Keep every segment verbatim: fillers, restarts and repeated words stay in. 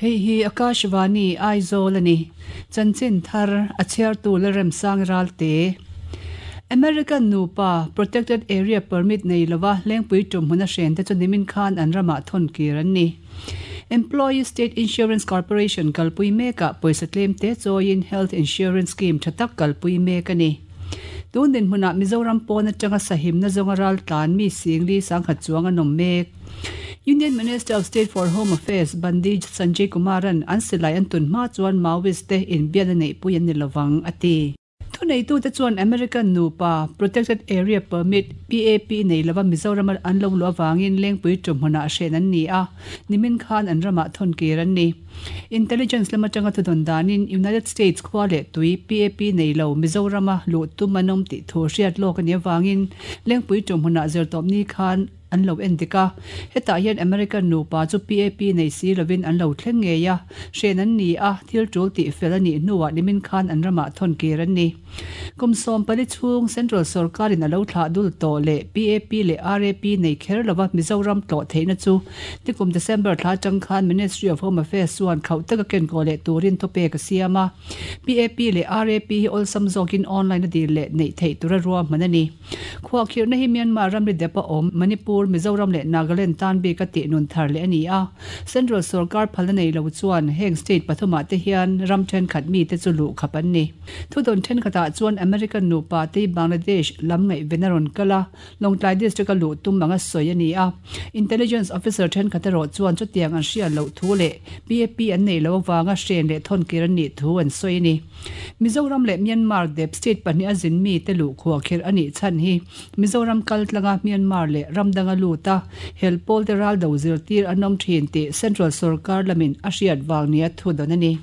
Hei hi Akashvani Aizawl ani chanchin thar a chhiartu Lalremsang Ralte American nupa Protected Area Permit nei lova lengpui tum huna hren te chu nimin khan an rama thon kir an ni. Employee State Insurance Corporation kalpui meka poisa tlem te chawiin Health Insurance Scheme thatak kalpui mek ani. Tun din hmuna Mizoram pawn atanga sahim na zawnga ral tlan mi singli sangkhat chuang an awm mek. Union Minister of State for Home Affairs Bandi Sanjay Kumaran an silai an tun hma chuan Maoist te inbian a neih pui an ni lovang a ti. Thuneitu te chuan American nupa Protected Area Permit P A P nei lova Mizoram an lo lu awangin lengpui tum hmunah hren an ni a, nimin khan an ramah thawn kir an ni. Intelligence lama tanga thudon danin United States khua leh tui P A P nei lo Mizorama lu tum an awm tih thu hriat lawk ani awangin lengpui tum hmunah zirtawp ni khan an lo en dik a. Hetah hian American nupa chu P A P nei si lovin an lo thleng ngei a, hren an ni a, thil tul tih fel a nih hnuah nimin khan an ramah thawn kir an ni. Kum sawm pali chhung Central Sarkarin a lo thlah dul tawh leh P A P leh R A P nei kher lova Mizoram tlawh theihna chu tikum December thla atang khan Ministry of Home Affairs chuan khauh taka ken kaw leh turin thupek a siam a. P A P leh R A P hi awlsam zawkin online a dil leh neih theih tura ruahman a ni. Khuahkhirhna hi Myanmar ramri depa awm Manipur, Mizoram leh Nagaland tan bik a tih nun thar leh a ni a. Central Sarkar phalna nei lo chuan heng state pathumah te hian ram thenkhat mi te chu luh khap an ni. Thudon thenkhatah chuan American nupa te Bangladesh lam ngaih ven a rawn kal a, Lawngtlai district a luh tum anga sawi a ni a. Intelligence officer thenkhat erawh chuan chutiang an hriat loh thu leh P A P an nei lo awanga hren leh thawn kir an nih thu an sawi a ni. Mizoram leh Myanmar dep state pahnih a zin mi te luh khuahkhirh a nih chhan hi Mizoram kal tlanga Myanmar leh ramdanga luta helpawl te ral do zirtir an awm thin tih Central Sarkar lamin a hriat vang nia thudon a ni.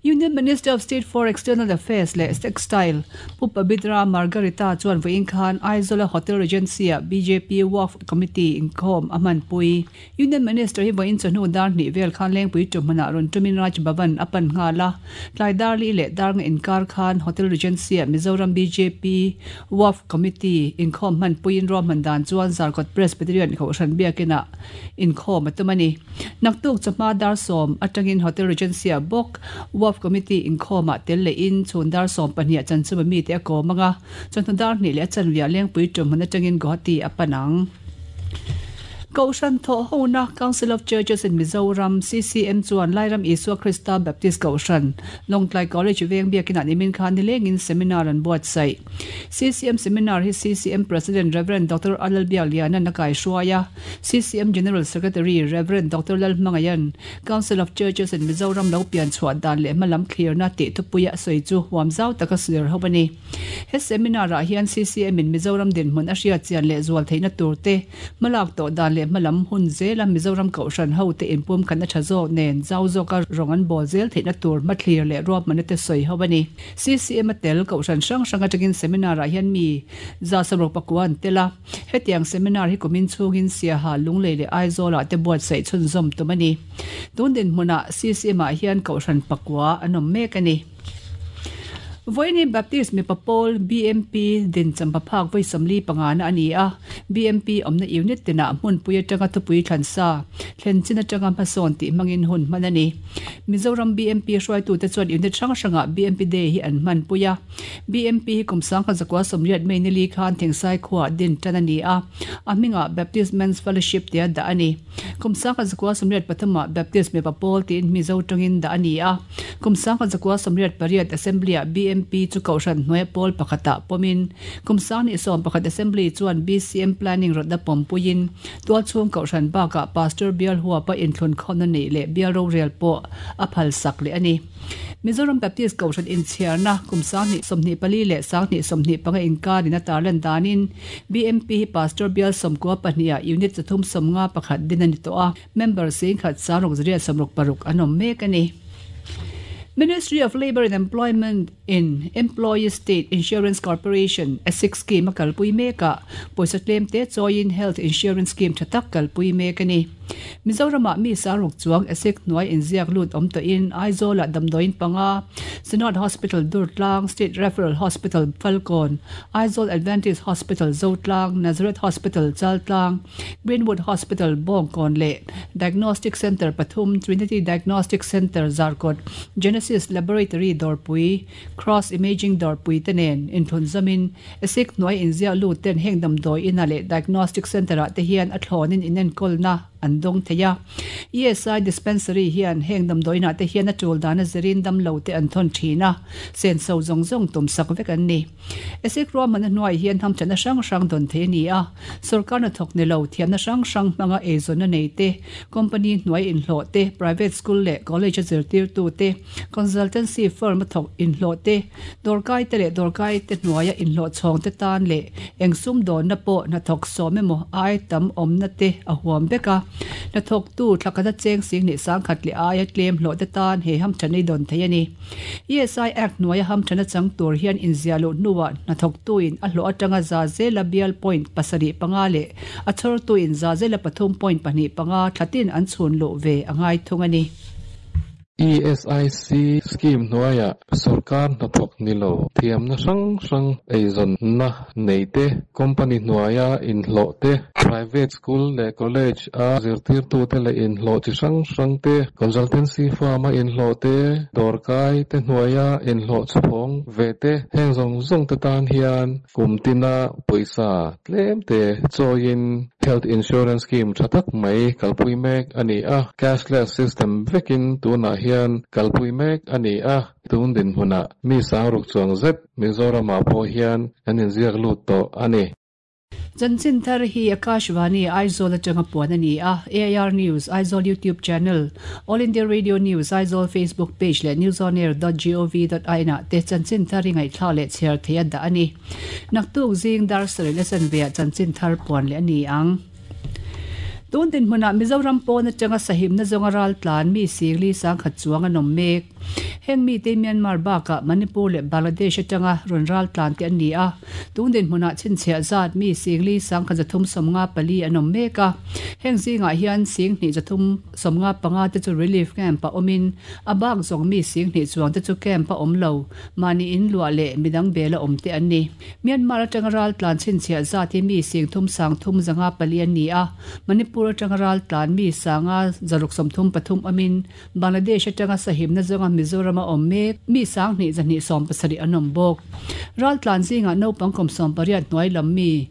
Union Minister of State for External Affairs leh Textile Pu Pabitra Margarita chuan vawiin khan Aizawl Hotel Regency a B J P Waqf Committee inkhawm a hmanpui. Union Minister hi vawiin chawhnu dar hnih vel khan lengpui tum hmunah rawn tumin Raj Bhavan a pan nghal a. Tlai darli leh dar nga inkar khan Hotel Regency a Mizoram B J P Waqf Committee inkhawm hmanpuiin ruahman dan chuan Zarkawt Presbyterian Kohhran biakinah inkhawm a tum a ni. Naktuk chawhma dar sawm atangin Hotel Regency a bawk Waqf Committee inkhawmah tel leh in chhun dar sawm pahnih chanchuma mi te a kawm anga chawhnu dar hnih leh a chanvia lengpui tum hmun atangin Guwahati a pan ang. Kohhran thawh hona Council of Churches in Mizoram C C M chuan Lairam Isua Krista Baptist Kohhran Lawngtlai College veng biakinah nimin khan nilengin seminar an buatsaih. C C M seminar hi C C M President Reverend Doctor Alal Biakliana nakai hruaia C C M General Secretary Reverend Doctor Lalhmangayan Council of Churches in Mizoram lo pian chhuah dan leh hmalam clearna tih thupuia sawi chu huam zau taka sir ho ani. He seminar ah hian C C M in Mizoram dinhmun a hriat chian leh zual theihna tur te hmalak tawh dan leh hmalam hun zela Mizoram Kohhran ho te inpum khan a tha zawk nen zau zawka rawng an bawl zel theihna tur hmathlir leh ruahmanna te sawi ho ani. C C M a tel Kohhran hrang hrang atangin seminar ah hian mi za samruk pakua an tel a. Hetiang seminar hi kumin chhungin Siaha Lunglei leh Aizawlah te buatsaih chhunzawm tum ani. Tun din hmunah C C M ah hian Kohhran pakua an awm mek ani. Vawiin Baptist mipa pawl B M P din champa phak vawi sawmli panga na ani a. B M P awmna unit tinah hmunpui atanga thupui thlansa thlen chin atanga hmasawn tih hmangin hun hman ani. Mizoram B M P hruaitu te chuan unit hrang hrangah B M P Day hi an hmanpui a. B M P hi kum sangkhat zakua sawmriat mai nili khan Thingsai khuah din tan ani a. A hmingah Baptist Men's Fellowship tia dah ani. Kum sangkhat zakua sawmriat pathumah Baptist mipa pawl tiin Mizo tawngin dah ani a. Kum sangkhat zakua sawmriat pariat Assembly ah B M P chu Kohhran hnuai pawl pakhatah pawmin kum sangni sawm pakhat Assembly chuan B C M Planning rawtna pawmpuiin tualchhung Kohhran bakah Pastor Bial Huapa inthlun khawmna nei leh Bial Rorel pawh a phal sak leh ani. Mizoram Baptist Kohhran inchhiarna kum sangni sawmhnih pali leh sangni sawmhnih panga inkarin a tarlan danin B M P hi Pastor Bial sawmkua pahnih ah unit chathum sawmnga pakhat din ani tawh a. Member singkhat sangruk zariat sawmruk paruk an awm mek ani. Ministry of Labour and Employment in Employee State Insurance Corporation ESIC scheme a kalpui meka pawisa tlem te chawiin Health Insurance Scheme tha tak kalpui mek a ni. Mizoramah mi saruk chuang ESIC hnuai inziak lut awm tawhin Aizawlah damdawiin panga Synod Hospital Durtlang, State Referral Hospital Falkawn, Aizawl Adventist Hospital Zotlang, Nazareth Hospital Chaltlang, Greenwood Hospital Bawngkawn leh Diagnostic Centre pathum Trinity Diagnostic Centre Zarkawt, Genesis Laboratory Dawrpui, Cross Imaging Dawrpui te nen inthlun zamin ESIC hnuai inziak lut ten heng damdawi inah leh Diagnostic Centre-ah te hian a thlawnin inenkawlna an dawng thei a. E S I Dispensary hian heng damdawiinah te hian a tul dan a zirin damlo te an thawn thin a, senso zawng zawng tum sak vek an ni. ESIC ruahman a hnuai hian hamthatna hrang hrang dawn thei a ni a, sorkar hnathawk ni lo thiamna hrang hrang hmanga eizawnna nei te, company hnuai inhlawh te, private school leh college a zirtirtu te, consultancy firm a thawk inhlawh te, dawrkai te leh dawrkai te hnuaia inhlawh chhawng te tan leh eng sum dawnna pawh hnathawk sawm emaw ai tam awmna te a huam vek a. Hnathawk tu thlakhat a cheng sing hnih sangkhat leh aia tlem hlawh te tan he hamthatna i dawn thei a ni. E S I Act hnuaia hamthatna chang tur hian inziah loh hnuah hnathawk tuin a hlawh atanga za zela bial point pasarih panga leh a chhawr tuin za zela pathum point pahnih panga thlatin an chhun luh ve a ngai thung a ni. E S I C scheme hnuaia sorkar hnathawk ni lo thiamna hrang hrang eizawnna nei te, company hnuaia inhlawh te, private school leh college a zirtirtu te leh inhlawh chi hrang hrang te, consultancy firm a inhlawh te, dawrkai te hnuaia inhlawh chhawng ve te, heng zawng zawng te tan hian kum tina pawisa tlem te chawiin health insurance scheme tha tak mai kalpui mek a ni a, cashless system vekin tunah hian kalpui mek a ni a, tun din hmunah mi sangruk chuang zet Mizoramah pawh hian an inziak lut tawh a ni. Chanchin thar hi Akashvani Aizawl atanga puan a ni a, A I R News Aizawl YouTube channel, All India Radio News Aizawl Facebook page leh newsonair dot gov dot in ah te chanchin thar hi ngaihthla leh chhiar thei a dah a ni. Naktuk zing dar sarih le chanveah chanchin thar puan leh a ni ang. Tun din hmunah Mizoram pawn atanga sahimna zawnga ral tlan mi singli sangkhat chuang an awm mek. Heng mi te Myanmar bakah Manipur leh Bangladesh atanga rawn ral tlan te an ni a. Tun din hmunah chhinchhiah zat mi singli sangkhat zathum sawmnga pali an awm mek a. Heng zingah hian sing hnih zathum sawmnga panga te chu relief camp a awmin a bak zawng mi sing hnih chuang te chu camp a awm lo mahni in luah leh midang bela awm te an ni. Myanmar atanga ral tlan chhinchhiah zat hi mi sing thum sang thum zanga pali an ni a. Manipur atanga ral tlan mi sanga zaruk sawmthum pathum amin Bangladesh atanga sahimna zawnga Mizoram a awm mek mi sang hnih zahnih sawm pasarih an awm bawk. Ral tlan zingah naupang kum sawm pariat hnuai lam mi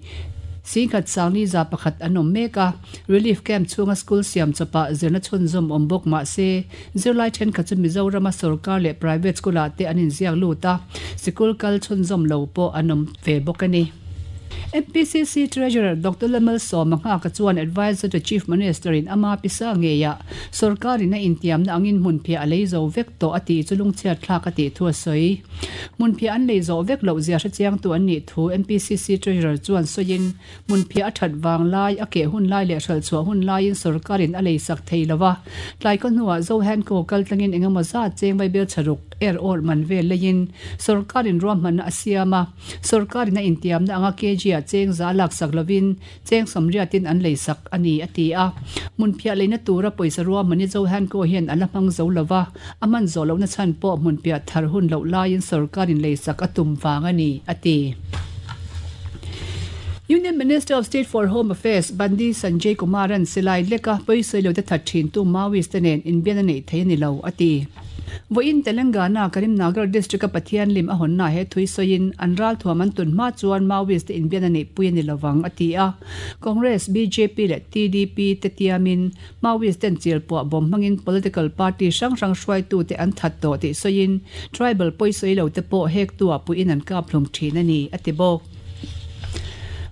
singkhat sangli za pakhat an awm mek a, relief camp chhunga school siam chawpah zirna chhunzawm awm bawk mahse zirlai thenkhat chu Mizorama sorkar leh private school ah te an inziak lut a, sikul kal chhunzawm lo pawh an awm ve bawk a ni. M P C C Treasurer Doctor Lamal Sawma ka chuan advisor to Chief Minister in ama pisa ngeia sorkar in a intiamna angin hmunphiah a lei zo vek tawh a tih chu lungchhiat thlak a tih thu a sawi. Hmunphiah an lei zo vek loh zia hre chiang tu an nih thu M P C C Treasurer chuan sawiin hmunphiah a that wang lai a ke hun lai leh hral chhuah hun laiin sorkar in a lei sak thei lova. Tlai ko hnuah Zohan ko kal tlangin engemaw zat cheng vai bel charuk er or man vel leiin sorkar in ruahmanna a siam a, sorkar in a intiamna anga K G a cheng za lak sak lovin cheng sawmriatin an lei sak a ni a ti a. Hmunphiah leina tura pawisa ruahmanni Zohan ko hian an la hmang zo lova, a man zawh lohna chhan pawh hmunphiah thar hun loh laiin sorkar in lei sak a tum wang a ni a ti. Union Minister of State for Home Affairs Bandi Sanjay Kumaran silai leka pawisai lo te that thin tu Maoist te nen inbian a nei thei a ni lo a ti. Voin Telangana Karimnagar district a Pathian lim a honna he thui soin an ral thuam an tun ma chuan Maoist te inbian a nei pui a ni lovang a ti a. Congress, B J P leh T D P te tiamin Maoist ten chil pawh bawm hmangin political party hrang hrang hruaitu te an that tawh tih soin tribal pawisai lo te pawh hek tua puiin an kap hlum thin a ni a ti bawk.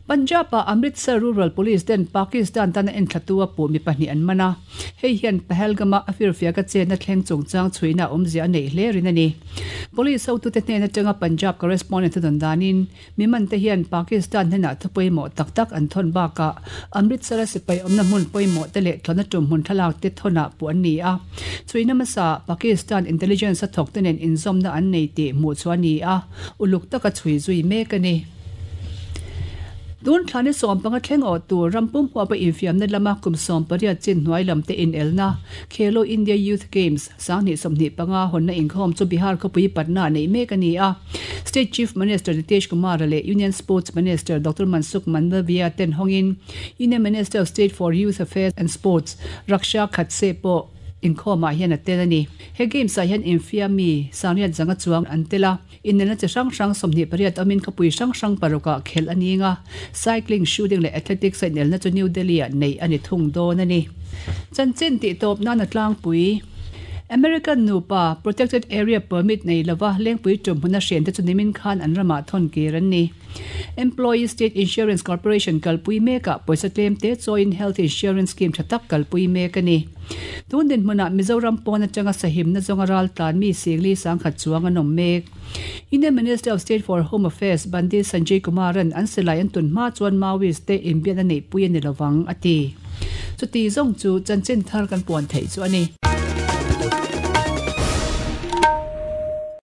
Punjab a Amritsar Rural Police ten Pakistan tana enthlatua pu mi pahnih an mana hei hian Pahalgama a firfia ka chena thleng chungchang chhuina awmzia a nei hle rin ani. Police hotu te hnena tanga Punjab correspondent don danin mi man te hian Pakistan hena thupoimo tak tak an thon baka Amritsar a sipai awmna hmun pawimawh te leh thlawna tum hmun thlalak te thona pu an ni a. Chhuina masa Pakistan intelligence a thawk te nen inzawmna an nei tih hmuh chu ani a, uluk taka chhui zui mek ani. Tun thlani sawm panga thleng aw tur rampum huwa pa infiamna lama kum sawm pariat chin hnuai lam te in elna Khelo India Youth Games sanghnih sawmhnih panga hawnna inkhawm chu Bihar khawpui Patna nei mek ani a. State Chief Minister Nitish Kumar leh Union Sports Minister Doctor Mansukh Mandaviya ten hawngin Union Minister of State for Youth Affairs and Sports Raksha Khadse pawh inkhawmah hian a tel ani. He games ah hian infiami sangriat zanga chuang an tela inelna chi hrang hrang sawmhnih pariat awmin khawpui hrang hrang parukah khelh ani nga. Cycling, shooting leh athletics a inelna chu New Delhi ah nei ani thung dawn ani. Chanchin tih tawp nan a tlangpui. American nupa protected area permit nei lova lengpui tum huna hren te chu nimin khan an rama thon kir an ni. Employee State Insurance Corporation kalpui meka poisa tlem te choin health insurance scheme thatak kalpui mek ani. Tun din hmuna Mizoram pawn atanga sahim na zonga ral tlan mi singli sangkhat chuang an awm mek. Indian Minister of State for Home Affairs Bandi Sanjay Kumaran an silai an tun hma chuan Maoist te inbian a nei pui ani lovang ati. Chuti zawng chu chanchin thar kan puan thei chu ani.